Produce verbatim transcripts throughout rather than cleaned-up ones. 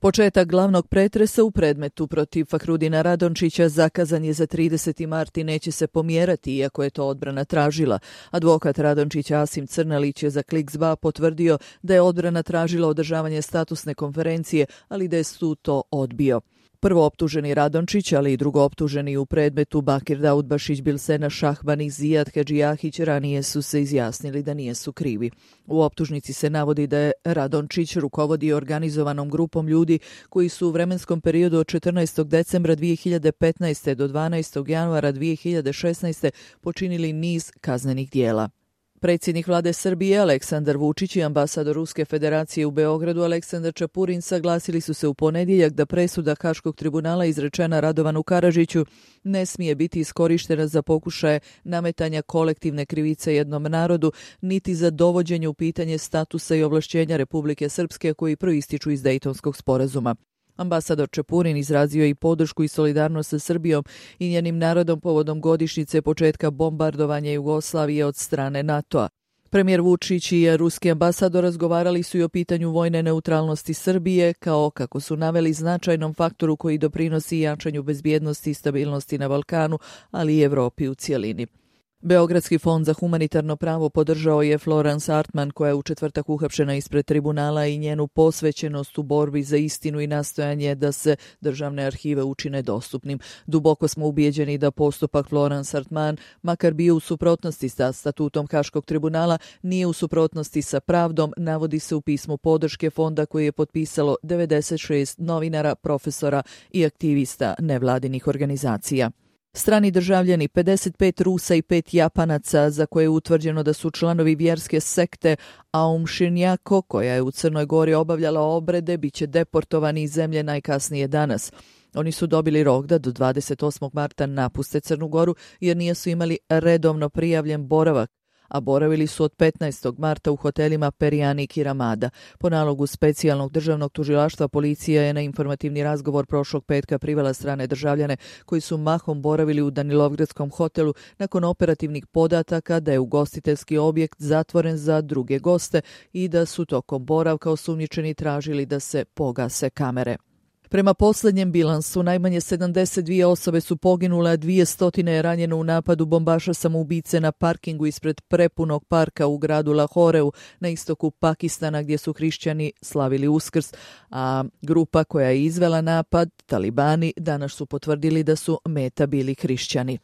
Početak glavnog pretresa u predmetu protiv Fahrudina Radončića zakazan je za trideseti mart i neće se pomjerati, iako je to odbrana tražila. Advokat Radončića Asim Crnalić je za Kliks.ba potvrdio da je odbrana tražila održavanje statusne konferencije, ali da je sud to odbio. Prvo optuženi Radončić, ali i drugo optuženi u predmetu Bakir Daudbašić, Bilsena Šahban i Zijad Hedžijahić ranije su se izjasnili da nijesu krivi. U optužnici se navodi da je Radončić rukovodio organizovanom grupom ljudi koji su u vremenskom periodu od četrnaestog decembra dvije hiljade petnaeste do dvanaestog januara dvije hiljade šesnaeste počinili niz kaznenih dijela. Predsjednik vlade Srbije Aleksandar Vučić i ambasador Ruske federacije u Beogradu Aleksandar Čapurin saglasili su se u ponedjeljak da presuda Haškog tribunala izrečena Radovanu Karadžiću ne smije biti iskorištena za pokušaje nametanja kolektivne krivice jednom narodu, niti za dovođenje u pitanje statusa i ovlašćenja Republike Srpske koji proističu iz Dejtonskog sporazuma. Ambasador Čepurin izrazio je i podršku i solidarnost sa Srbijom i njenim narodom povodom godišnjice početka bombardovanja Jugoslavije od strane NATO-a. Premijer Vučić i ruski ambasador razgovarali su i o pitanju vojne neutralnosti Srbije kao, kako su naveli, značajnom faktoru koji doprinosi jačanju bezbjednosti i stabilnosti na Balkanu, ali i Evropi u cijelini. Beogradski fond za humanitarno pravo podržao je Florence Artman, koja je u četvrtak uhapšena ispred tribunala, i njenu posvećenost u borbi za istinu i nastojanje da se državne arhive učine dostupnim. Duboko smo ubijeđeni da postupak Florence Artman, makar bio u suprotnosti sa statutom Haškog tribunala, nije u suprotnosti sa pravdom, navodi se u pismu podrške fonda koji je potpisalo devedeset šest novinara, profesora i aktivista nevladinih organizacija. Strani državljani, pedeset pet Rusa i pet Japanaca, za koje je utvrđeno da su članovi vjerske sekte Aum Shinryaku, koja je u Crnoj Gori obavljala obrede, bit će deportovani iz zemlje najkasnije danas. Oni su dobili rok da do dvadeset osmog marta napuste Crnu Goru jer nisu imali redovno prijavljen boravak, a boravili su od petnaestog marta u hotelima Perjanik i Ramada. Po nalogu specijalnog državnog tužilaštva policija je na informativni razgovor prošlog petka privela strane državljane koji su mahom boravili u Danilovgradskom hotelu nakon operativnih podataka da je ugostiteljski objekt zatvoren za druge goste i da su tokom boravka osumnjičeni tražili da se pogase kamere. Prema posljednjem bilansu, najmanje sedamdeset dvije osobe su poginule, a dvjesto je ranjeno u napadu bombaša samoubice na parkingu ispred prepunog parka u gradu Lahoreu na istoku Pakistana, gdje su hrišćani slavili Uskrs, a grupa koja je izvela napad, talibani, danas su potvrdili da su meta bili hrišćani.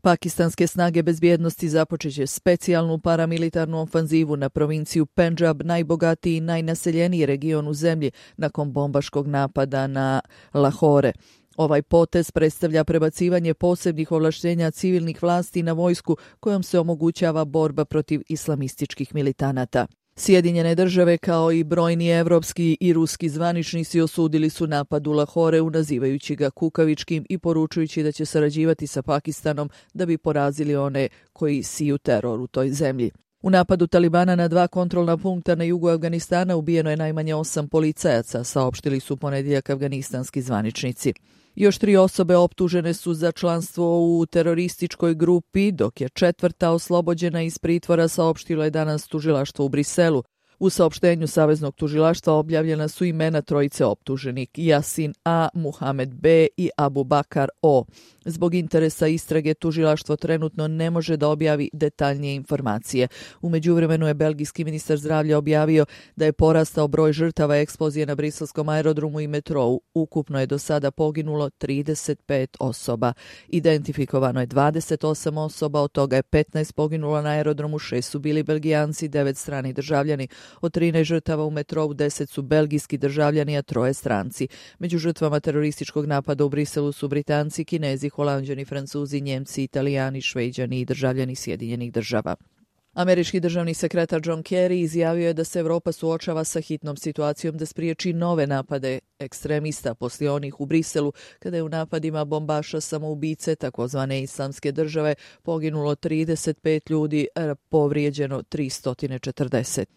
Pakistanske snage bezbjednosti započet će specijalnu paramilitarnu ofanzivu na provinciju Pendžab, najbogatiji i najnaseljeniji region u zemlji, nakon bombaškog napada na Lahore. Ovaj potez predstavlja prebacivanje posebnih ovlaštenja civilnih vlasti na vojsku kojom se omogućava borba protiv islamističkih militanata. Sjedinjene države kao i brojni evropski i ruski zvaničnici osudili su napad u Lahoreu, nazivajući ga kukavičkim i poručujući da će sarađivati sa Pakistanom da bi porazili one koji siju teror u toj zemlji. U napadu Talibana na dva kontrolna punkta na jugu Afganistana ubijeno je najmanje osam policajaca, saopštili su ponedjeljak afganistanski zvaničnici. Još tri osobe optužene su za članstvo u terorističkoj grupi, dok je četvrta oslobođena iz pritvora, saopštilo je danas tužilaštvo u Briselu. U saopštenju Saveznog tužilaštva objavljena su imena trojice optuženih, Yasin A, Muhamed B i Abu Bakar O. Zbog interesa istrage tužilaštvo trenutno ne može da objavi detaljnije informacije. U međuvremenu je belgijski ministar zdravlja objavio da je porastao broj žrtava eksplozije na briselskom aerodromu i metrou. Ukupno je do sada poginulo trideset pet osoba. Identifikovano je dvadeset osam osoba, od toga je petnaest poginulo na aerodromu, šest su bili Belgijanci, devet strani državljani. Od trinaest žrtava u metrou deset su belgijski državljani, a troje stranci. Među žrtvama terorističkog napada u Briselu su Britanci, Kinezi, Holanđani, Francuzi, Njemci, Italijani, Šveđani i državljani Sjedinjenih država. Američki državni sekretar John Kerry izjavio je da se Evropa suočava sa hitnom situacijom da spriječi nove napade ekstremista poslije onih u Briselu, kada je u napadima bombaša samoubice takozvane islamske države poginulo trideset pet ljudi, povrijeđeno tristo četrdeset.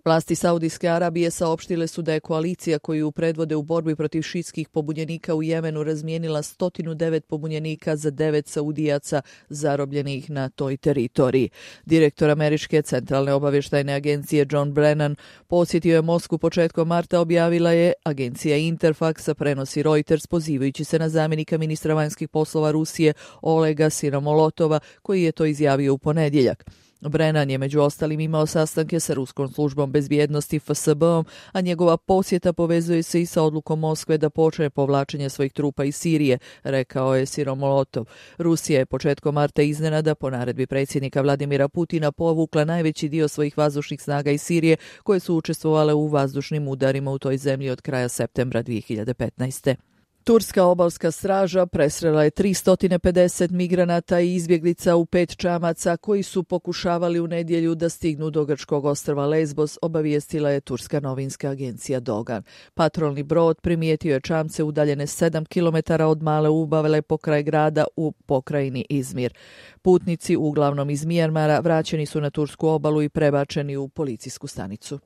Vlasti Saudijske Arabije saopštile su da je koalicija koju predvode u borbi protiv šiitskih pobunjenika u Jemenu razmijenila sto devet pobunjenika za devet Saudijaca zarobljenih na toj teritoriji. Direktor Američke centralne obavještajne agencije John Brennan posjetio je Moskvu početkom marta, objavila je agencija Interfax, prenosi Reuters pozivajući se na zamjenika ministra vanjskih poslova Rusije Olega Sinomolotova, koji je to izjavio u ponedjeljak. Brennan je među ostalim imao sastanke sa Ruskom službom bezbjednosti F S B-om, a njegova posjeta povezuje se i sa odlukom Moskve da počne povlačenje svojih trupa iz Sirije, rekao je Siromolotov. Rusija je početkom marta iznenada po naredbi predsjednika Vladimira Putina povukla najveći dio svojih vazdušnih snaga iz Sirije, koje su učestvovale u vazdušnim udarima u toj zemlji od kraja septembra dvije hiljade petnaeste. Turska obalska straža presrela je tristo pedeset migranata i izbjeglica u pet čamaca koji su pokušavali u nedjelju da stignu do grčkog ostrva Lesbos, obavijestila je turska novinska agencija Dogan. Patrolni brod primijetio je čamce udaljene sedam kilometara od male ubavele pokraj grada u pokrajini Izmir. Putnici, uglavnom iz Mijanmara, vraćeni su na tursku obalu i prebačeni u policijsku stanicu.